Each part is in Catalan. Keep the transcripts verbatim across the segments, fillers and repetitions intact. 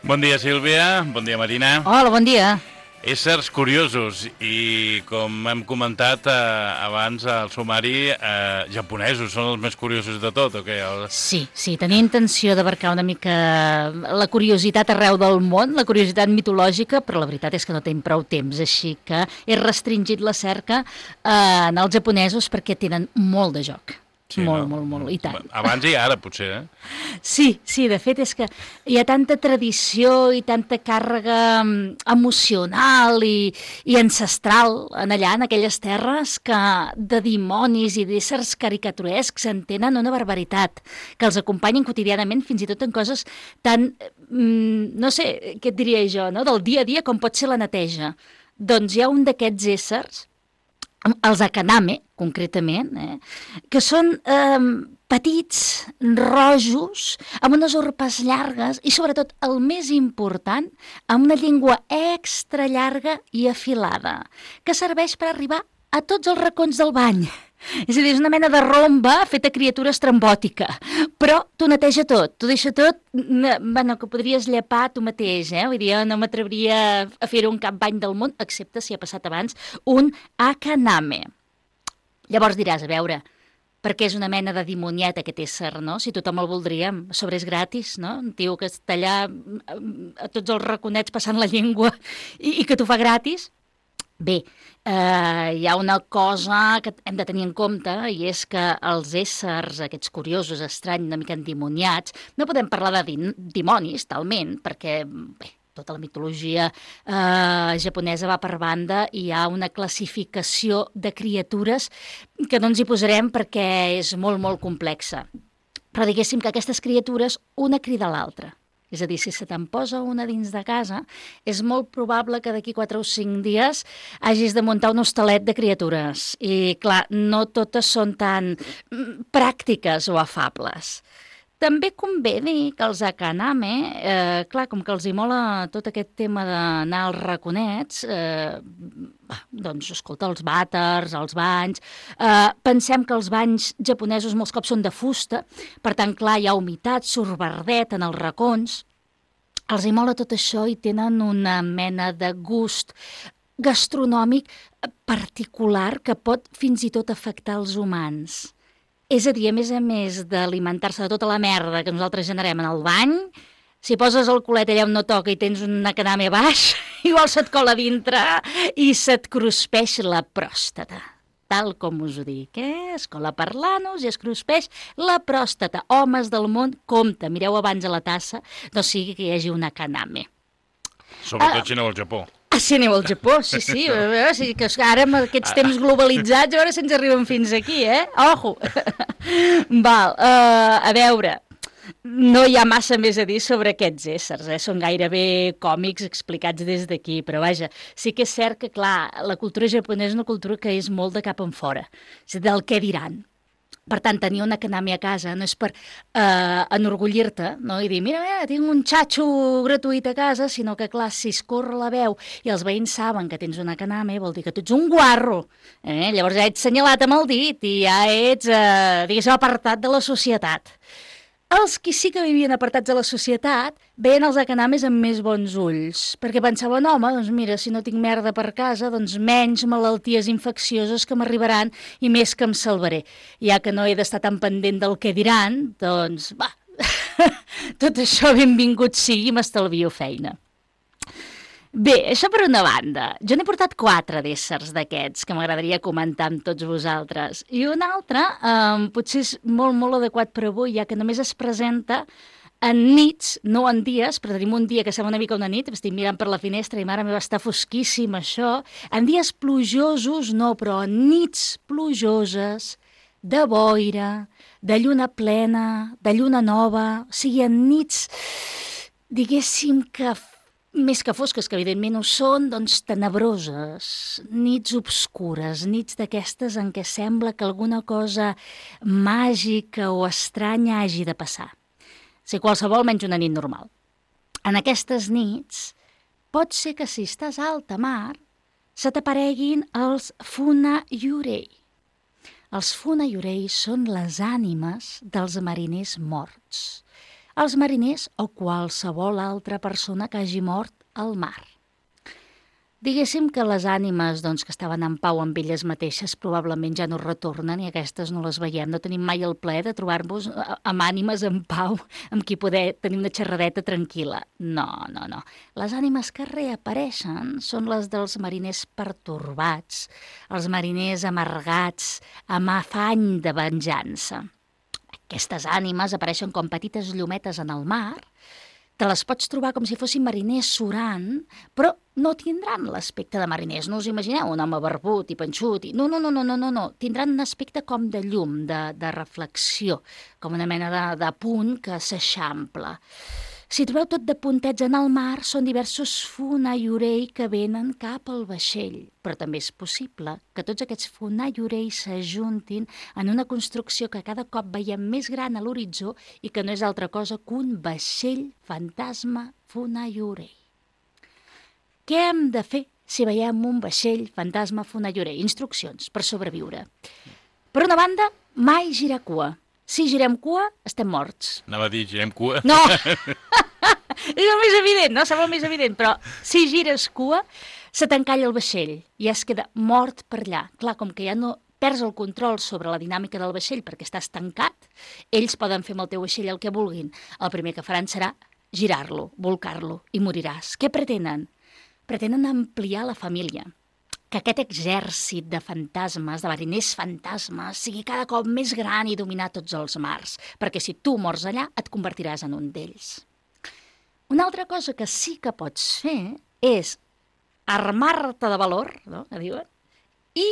Bon dia, Sílvia. Bon dia, Marina. Hola, bon dia. Éssers curiosos i, com hem comentat eh, abans al sumari, eh, japonesos són els més curiosos de tot, o què? El... Sí, sí, tenia intenció d'abarcar una mica la curiositat arreu del món, la curiositat mitològica, però la veritat és que no tenim prou temps, així que he restringit la cerca eh, en els japonesos perquè tenen molt de joc. Sí, molt, no? molt, molt, i tant. Abans i ara, potser, eh? Sí, sí, de fet és que hi ha tanta tradició i tanta càrrega emocional i, i ancestral en allà, en aquelles terres, que de dimonis i d'éssers caricaturescs en tenen una barbaritat, que els acompanyen quotidianament fins i tot en coses tan, no sé, què et diria jo, no? Del dia a dia com pot ser la neteja. Doncs hi ha un d'aquests éssers, els Akaname, concretament, eh, que són eh, petits, rojos, amb unes urpes llargues i, sobretot, el més important, amb una llengua extra llarga i afilada, que serveix per arribar a tots els racons del bany. És a dir, és una mena de romba feta criatura estrambòtica, però t'ho neteja tot, t'ho deixa tot, bueno, que podries llepar tu mateix, eh? Vull dir, jo no m'atreviria a fer-ho un cap bany del món, excepte si ha passat abans un Akaname. Llavors diràs, a veure, perquè és una mena de dimoniet aquest ésser, no? Si tothom el voldríem, a sobre és gratis, no? Un tio que està allà a tots els raconets passant la llengua i, i que t'ho fa gratis. Bé, eh, hi ha una cosa que hem de tenir en compte i és que els éssers, aquests curiosos, estranys, una mica endimoniats, no podem parlar de din dimonis, talment, perquè bé, tota la mitologia eh, japonesa va per banda i hi ha una classificació de criatures que no ens hi posarem perquè és molt, molt complexa. Però diguéssim que aquestes criatures, una crida a l'altra. És a dir, si se te'n posa una dins de casa, és molt probable que d'aquí quatre o cinc dies hagis de muntar un hostalet de criatures. I, clar, no totes són tan pràctiques o afables. També convé dir que els Akaname, eh, clar, com que els hi mola tot aquest tema d'anar als raconets, eh, doncs, escolta, els vàters, els banys... Eh, pensem que els banys japonesos molts cops són de fusta, per tant, clar, hi ha humitat, surt verdet en els racons. Els hi mola tot això i tenen una mena de gust gastronòmic particular que pot fins i tot afectar els humans. És a dir, a més a més d'alimentar-se de tota la merda que nosaltres generem en el bany, si poses el culet allà on no toca i tens un Akaname baix, igual se't cola dintre i se't cruspeix la pròstata. Tal com us ho dic, eh? Es cola per l'anus i es cruspeix la pròstata. Homes del món, compte, mireu abans a la tassa, no sigui que hi hagi un Akaname. Sobretot uh, si aneu al Japó. Ah, si aneu al Japó, sí, sí. sí que ara amb aquests temps globalitzats, a veure si ens arriben fins aquí, eh? Ojo! Val, uh, a veure, no hi ha massa més a dir sobre aquests éssers, eh? Són gairebé còmics explicats des d'aquí, però vaja, sí que és cert que, clar, la cultura japonesa és una cultura que és molt de cap en fora, és del què diran. Per tant, tenir un Akaname a casa no és per eh, enorgullir-te, no? I dir, mira, mira, tinc un xatxo gratuït a casa, sinó que, clar, si es corre la veu i els veïns saben que tens un Akaname, vol dir que tu ets un guarro. Eh? Llavors ja ets senyalat amb el dit i ja ets, eh, diguéssim, apartat de la societat. Els qui sí que vivien apartats de la societat veien els Akanames amb més bons ulls, perquè pensaven, home, doncs mira, si no tinc merda per casa, doncs menys malalties infeccioses que m'arribaran i més que em salvaré. Ja que no he d'estar tan pendent del que diran, doncs, va, tot això benvingut sigui i m'estalvio feina. Bé, això per una banda. Jo n'he portat quatre d'éssers d'aquests que m'agradaria comentar amb tots vosaltres. I un altre, eh, potser és molt, molt adequat per avui, ja que només es presenta en nits, no en dies, però tenim un dia que sembla una mica una nit, estic mirant per la finestra i mare meva està fosquíssim això. En dies plujosos no, però en nits plujoses, de boira, de lluna plena, de lluna nova, o sigui, en nits, diguéssim que més que fosques, que evidentment ho són, doncs tenebroses, nits obscures, nits d'aquestes en què sembla que alguna cosa màgica o estranya hagi de passar. Si qualsevol menys una nit normal. En aquestes nits, pot ser que si estàs a alta mar, se t'apareguin els Funayurei. Els Funayurei són les ànimes dels mariners morts. els mariners o qualsevol altra persona que hagi mort al mar. Diguéssim que les ànimes doncs, que estaven en pau amb elles mateixes probablement ja no retornen i aquestes no les veiem. No tenim mai el plaer de trobar-nos amb ànimes en pau, amb qui poder tenir una xerradeta tranquil·la. No, no, no. Les ànimes que reapareixen són les dels mariners pertorbats, els mariners amargats, amb afany de venjança. Aquestes ànimes apareixen com petites llumetes en el mar. Te les pots trobar com si fossin mariners surant, però no tindran l'aspecte de mariners. No us imagineu un home barbut i panxut. I... No, no, no, no, no, no, no. Tindran un aspecte com de llum, de, de reflexió, com una mena de, de punt que s'eixampla. Si trobeu tot de puntets en el mar, són diversos fonaiorei que venen cap al vaixell. Però també és possible que tots aquests fonaiorei s'ajuntin en una construcció que cada cop veiem més gran a l'horitzó i que no és altra cosa que un vaixell fantasma fonaiorei. Què hem de fer si veiem un vaixell fantasma fonaiorei? Instruccions per sobreviure. Per una banda, mai girar cua. Si girem cua, estem morts. Anava a dir, girem cua. No! És el més evident, no? Sembla el més evident, però si gires cua, se t'encalla el vaixell i es queda mort per allà. Clar, com que ja no perds el control sobre la dinàmica del vaixell perquè estàs tancat, ells poden fer amb el teu vaixell el que vulguin. El primer que faran serà girar-lo, volcar-lo i moriràs. Què pretenen? Pretenen ampliar la família. Que aquest exèrcit de fantasmes, de mariners fantasmes, sigui cada cop més gran i dominar tots els mars, perquè si tu mors allà et convertiràs en un d'ells. Una altra cosa que sí que pots fer és armar-te de valor, no?, que diuen, i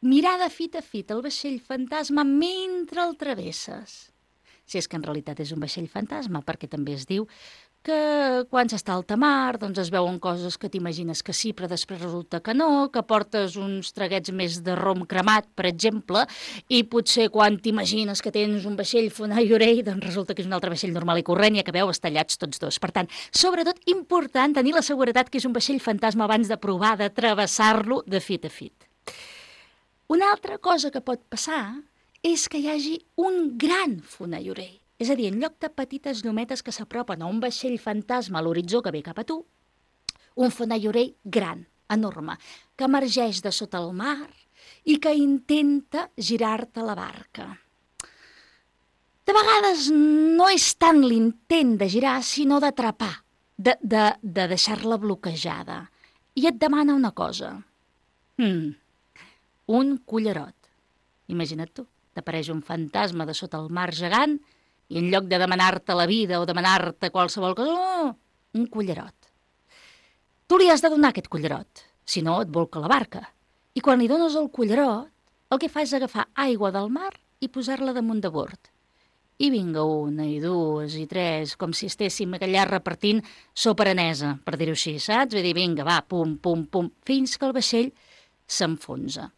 mirar de fit a fit el vaixell fantasma mentre el travesses. Si és que en realitat és un vaixell fantasma, perquè també es diu que quan s'està a alta mar doncs es veuen coses que t'imagines que sí, però després resulta que no, que portes uns traguets més de rom cremat, per exemple, i potser quan t'imagines que tens un vaixell fonaiorei, doncs resulta que és un altre vaixell normal i corrent i acabeu estallats tots dos. Per tant, sobretot important tenir la seguretat que és un vaixell fantasma abans de provar de travessar-lo de fit a fit. Una altra cosa que pot passar és que hi hagi un gran fonaiorei. És a dir, en lloc de petites llumetes que s'apropen a un vaixell fantasma a l'horitzó que ve cap a tu, un fonaiorei gran, enorme, que emergeix de sota el mar i que intenta girar-te la barca. De vegades no és tant l'intent de girar, sinó d'atrapar, de, de, de deixar-la bloquejada. I et demana una cosa. Hmm, un cullerot. Imagina't tu, t'apareix un fantasma de sota el mar gegant i en lloc de demanar-te la vida o demanar-te qualsevol cosa, no, un cullerot. Tu li has de donar aquest cullerot, si no et volca la barca. I quan li dones el cullerot, el que fa és agafar aigua del mar i posar-la damunt de bord. I vinga una, i dues, i tres, com si estéssim allà repartint sopa aranesa, per dir-ho així, saps? Vull dir, vinga, va, pum, pum, pum, fins que el vaixell s'enfonsa.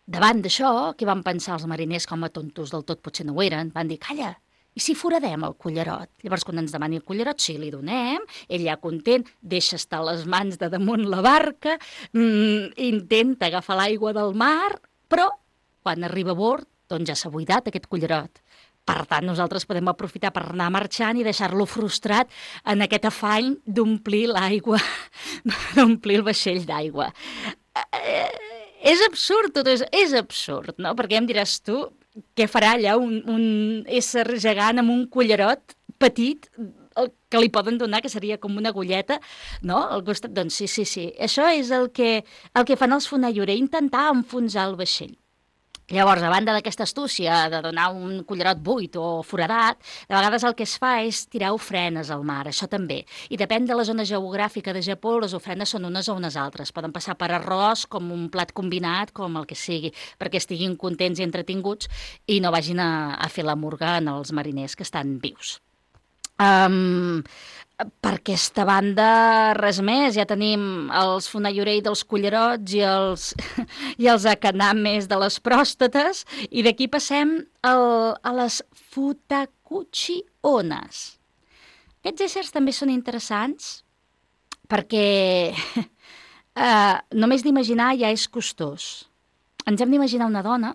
Davant d'això, què van pensar els mariners, com a tontos del tot potser no ho eren? Van dir, calla, i si foradem el cullerot? Llavors, quan ens demani el cullerot, sí, li donem, ell ja content, deixa estar les mans de damunt la barca, mmm, intenta agafar l'aigua del mar, però quan arriba a bord, doncs ja s'ha buidat aquest cullerot. Per tant, nosaltres podem aprofitar per anar marxant i deixar-lo frustrat en aquest afany d'omplir l'aigua, d'omplir el vaixell d'aigua. Eh... És absurd, tot és, és absurd, no? Perquè em diràs tu, què farà allà un, un ésser gegant amb un cullerot petit el que li poden donar, que seria com una agulleta, no? Al costat, doncs sí, sí, sí. Això és el que, el que fan els fonaiorei, intentar enfonsar el vaixell. Llavors, a banda d'aquesta astúcia de donar un cullerot buit o foradat, de vegades el que es fa és tirar ofrenes al mar, això també. I depèn de la zona geogràfica de Japó, les ofrenes són unes o unes altres. Poden passar per arròs, com un plat combinat, com el que sigui, perquè estiguin contents i entretinguts i no vagin a, a fer la murga en els mariners que estan vius. Um, per aquesta banda, res més. Ja tenim els fonaiorei dels cullerots i els, i els akanames de les pròstates, i d'aquí passem el, a les futakuchi ones. Aquests éssers també són interessants perquè eh, només d'imaginar ja és costós. Ens hem d'imaginar una dona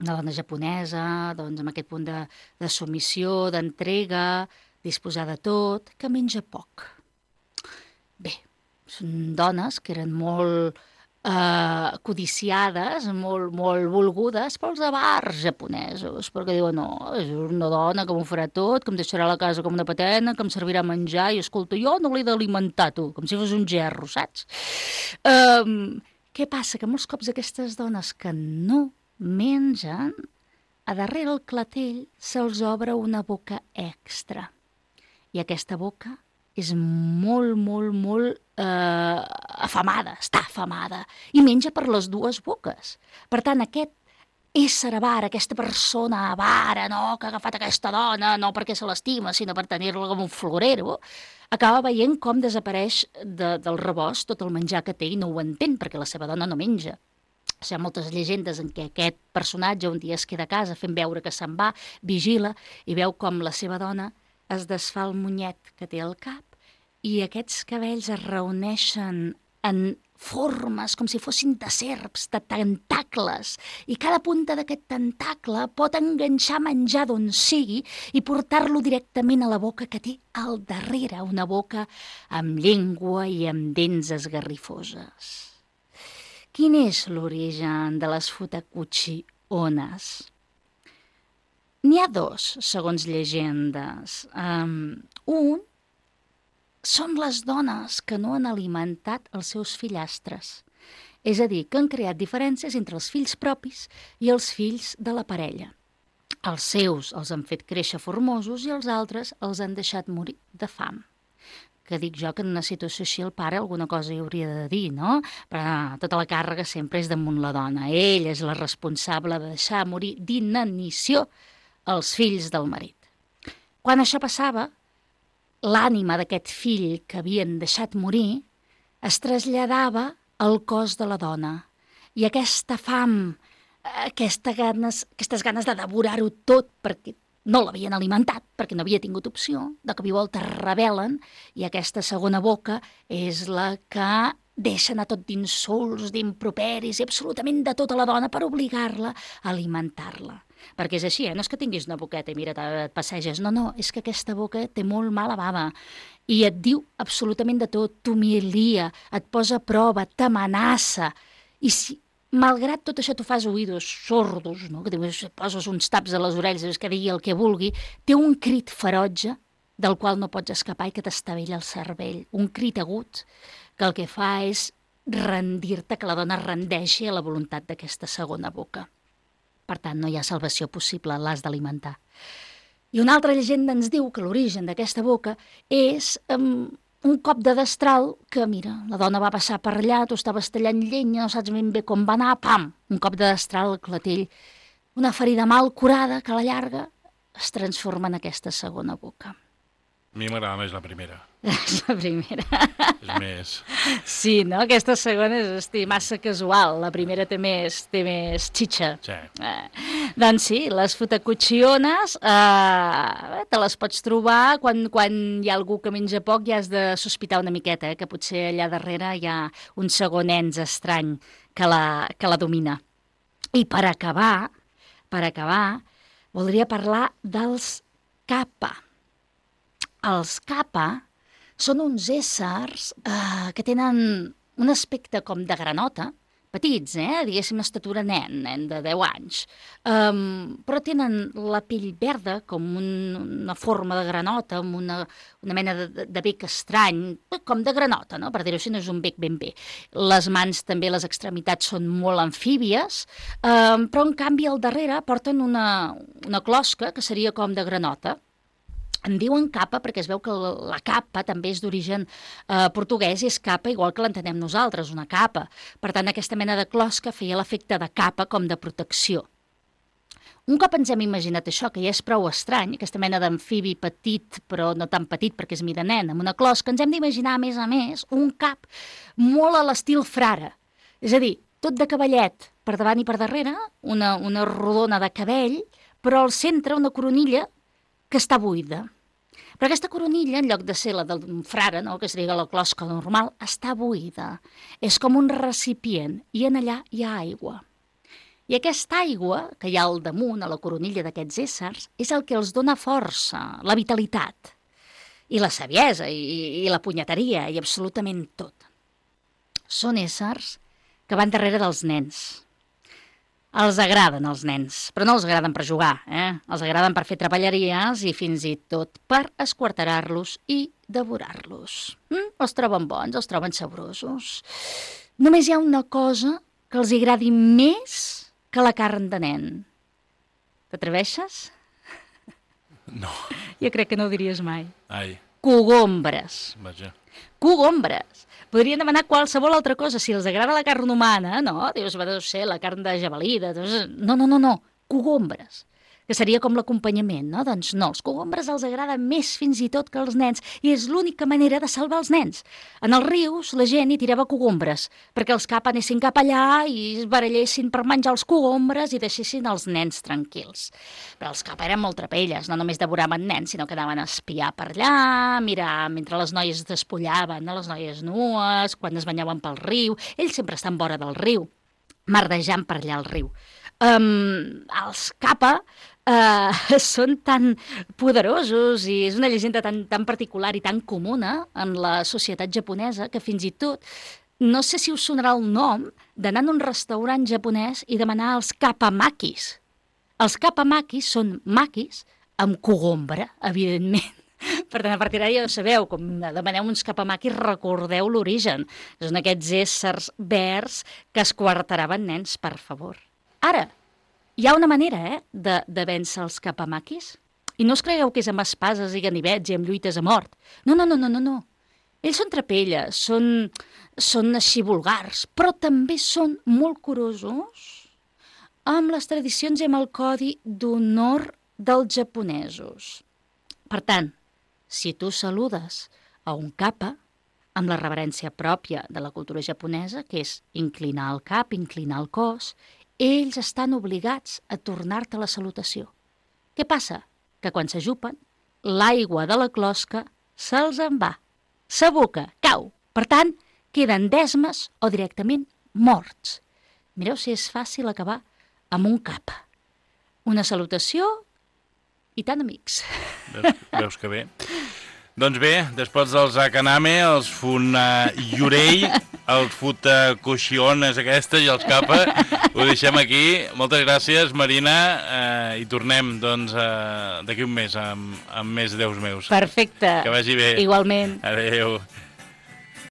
una dona japonesa, doncs, amb aquest punt de, de submissió, d'entrega, disposar de tot, que menja poc. Bé, són dones que eren molt eh, codiciades, molt, molt volgudes pels avars japonesos, perquè diuen, no, és una dona que m'ho farà tot, que em deixarà la casa com una patena, que em servirà menjar, i escolta, jo no l'he d'alimentar, tu, com si fos un gerro, saps? Um, què passa? Que molts cops aquestes dones que no mengen, a darrere el clatell se'ls obre una boca extra. I aquesta boca és molt, molt, molt eh, afamada, està afamada, i menja per les dues boques. Per tant, aquest ésser avara, aquesta persona avara, no, que ha agafat aquesta dona, no perquè se l'estima, sinó per tenir-la com un florero, acaba veient com desapareix de, del rebost tot el menjar que té i no ho entén, perquè la seva dona no menja. Hi ha moltes llegendes en què aquest personatge un dia es queda a casa fent veure que se'n va, vigila i veu com la seva dona es desfà el monyet que té al cap i aquests cabells es reuneixen en formes com si fossin de serps, de tentacles, i cada punta d'aquest tentacle pot enganxar menjar d'on sigui i portar-lo directament a la boca que té al darrere, una boca amb llengua i amb dents esgarrifoses. Quin és l'origen de les Futakuchi ones? N'hi ha dos, segons llegendes. Um, un són les dones que no han alimentat els seus fillastres. És a dir, que han creat diferències entre els fills propis i els fills de la parella. Els seus els han fet créixer formosos i els altres els han deixat morir de fam. Que dic jo que en una situació així el pare alguna cosa hi hauria de dir, no? Però no, tota la càrrega sempre és damunt la dona. Ell és la responsable de deixar morir d'inanició els fills del marit. Quan això passava, l'ànima d'aquest fill que havien deixat morir es traslladava al cos de la dona. I aquesta fam, aquesta ganes, aquestes ganes de devorar-ho tot perquè no l'havien alimentat, perquè no havia tingut opció, de cop i volta es rebel·len i aquesta segona boca és la que deixa anar tot d'insults, d'improperis i absolutament de tota la dona per obligar-la a alimentar-la. Perquè és així, eh? No és que tinguis una boqueta i mira, et passeges. No, no, és que aquesta boca té molt mala bava i et diu absolutament de tot, t'humilia, et posa a prova, t'amenaça. I si, malgrat tot això, tu fas oïdos sordos, no? Que te poses uns taps a les orelles, que digui el que vulgui, té un crit ferotge del qual no pots escapar i que t'estavella el cervell. Un crit agut que el que fa és rendir-te, que la dona rendeixi a la voluntat d'aquesta segona boca. Per tant, no hi ha salvació possible, l'has d'alimentar. I una altra llegenda ens diu que l'origen d'aquesta boca és um, un cop de destral que, mira, la dona va passar per allà, tu estaves tallant llenya, no saps ben bé com va anar, pam, un cop de destral al clatell, una ferida mal curada que a la llarga es transforma en aquesta segona boca. A mi m'agrada més la primera. És la primera. És més... Sí, no? Aquesta segona és hosti, massa casual. La primera té més, té més xitxa. Sí. Eh, doncs sí, les futacuchiones eh, te les pots trobar quan, quan hi ha algú que menja poc i has de sospitar una miqueta, eh, que potser allà darrere hi ha un segon ens estrany que la, que la domina. I per acabar, per acabar, voldria parlar dels kappa. Els kappa són uns éssers eh, que tenen un aspecte com de granota, petits, eh? Diguéssim, estatura nen, nen de deu anys, um, però tenen la pell verda, com un, una forma de granota, amb una, una mena de, de bec estrany, com de granota, no? Per dir-ho així, no és un bec ben bé. Les mans també, les extremitats són molt amfíbies, um, però en canvi al darrere porten una, una closca que seria com de granota. En diuen capa perquè es veu que la capa també és d'origen eh, portuguès i és capa igual que l'entenem nosaltres, una capa. Per tant, aquesta mena de closca feia l'efecte de capa com de protecció. Un cop ens hem imaginat això, que ja és prou estrany, aquesta mena d'amfibi petit, però no tan petit perquè és mida nen, amb una closca, ens hem d'imaginar, a més a més, un cap molt a l'estil frare. És a dir, tot de cavallet per davant i per darrere, una, una rodona de cabell, però al centre una coronilla que està buida. Però aquesta coronilla, en lloc de ser la d'un frare, no, que seria la closca normal, està buida. És com un recipient i en allà hi ha aigua. I aquesta aigua que hi ha al damunt, a la coronilla d'aquests éssers, és el que els dona força, la vitalitat, i la saviesa, i, i la punyeteria, i absolutament tot. Són éssers que van darrere dels nens. Els agraden els nens, però no els agraden per jugar, eh? Els agraden per fer treballeries i fins i tot per esquarterar-los i devorar-los. Mm? Els troben bons, els troben saborosos. Només hi ha una cosa que els agradi més que la carn de nen. T'atreveixes? No. Jo crec que no ho diries mai. Ai. Cogombres. Vaja. Cogombres. Podrien demanar qualsevol altra cosa. Si els agrada la carn humana, no? Dius, va, deu ser la carn de jabalí. De... No, no, no, no. Cogombres. Que seria com l'acompanyament, no? Doncs no, els cogombres els agrada més fins i tot que els nens, i és l'única manera de salvar els nens. En els rius la gent hi tirava cogombres, perquè els cap anessin cap allà i es barallessin per menjar els cogombres i deixessin els nens tranquils. Però els cap eren molt trapelles, no només devoraven nens, sinó que anaven a espiar per allà, mirar mentre les noies despullaven, no? Les noies nues, quan es banyaven pel riu. Ells sempre estan vora del riu, merdejant per allà al riu. Um, els capa uh, són tan poderosos i és una llegenda tan, tan particular i tan comuna en la societat japonesa que fins i tot, no sé si us sonarà el nom d'anar en un restaurant japonès i demanar els kapamakis. Els kapamakis són makis amb cogombre, evidentment. Per tant, a partir d'ara ja ho sabeu, com demaneu uns kapamakis, recordeu l'origen. Són aquests éssers verds que esquarteraven nens, per favor. Ara, hi ha una manera, eh, de, de vèncer els kapamakis. I no us cregueu que és amb espases i ganivets i amb lluites a mort. No, no, no, no, no, no. Ells són trapelles, són, són així vulgars, però també són molt curosos amb les tradicions i amb el codi d'honor dels japonesos. Per tant, si tu saludes a un kappa, amb la reverència pròpia de la cultura japonesa, que és inclinar el cap, inclinar el cos, ells estan obligats a tornar-te la salutació. Què passa? Que quan s'ajupen, l'aigua de la closca se'ls en va, s'aboca, cau. Per tant, queden desmes o directament morts. Mireu si és fàcil acabar amb un kappa. Una salutació i tan amics. Veus, veus que bé. Doncs bé, després dels Akaname, els Funayurei, els Futakoshion és aquesta i els Kappa, ho deixem aquí. Moltes gràcies, Marina, eh, i tornem doncs eh, d'aquí un mes amb, amb més Déus meus. Perfecte. Que vagi bé. Igualment. Adéu.